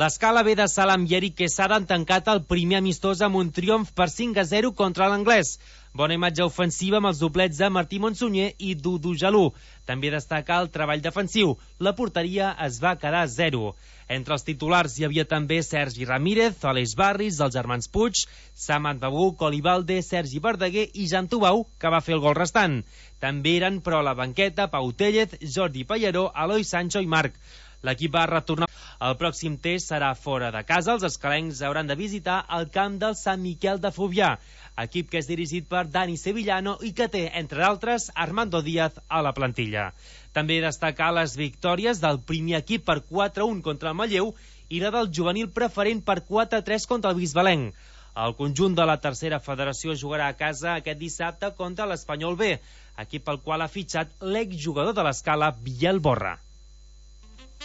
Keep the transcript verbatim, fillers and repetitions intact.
L'Escala B de Salam i Eric Quesada han tancat el primer amistós amb un triomf per cinc a zero contra l'Anglès. Bona imatge ofensiva amb els doblets de Martí Monsunyer i Dudu Jalú. També destaca el treball defensiu. La porteria es va quedar a zero. Entre els titulars hi havia també Sergi Ramírez, Aleix Barris, els germans Puig, Samat Babú, Colibalde, Sergi Verdaguer i Jan Tubau, que va fer el gol restant. També eren, però, a la banqueta Pau Tellez, Jordi Pallaró, Eloi Sancho i Marc. L'equip va retornar. El pròxim test serà fora de casa. Els escalencs hauran de visitar el camp del Sant Miquel de Fluvià, equip que és dirigit per Dani Sevillano i que té, entre d'altres, Armando Díaz a la plantilla. També destacar les victòries del primer equip per quatre a un contra el Manlleu i la del juvenil preferent per quatre a tres contra el Bisbalenc. El conjunt de la tercera federació jugarà a casa aquest dissabte contra l'Espanyol B, equip pel qual ha fitxat l'exjugador de l'Escala, Biel Borra.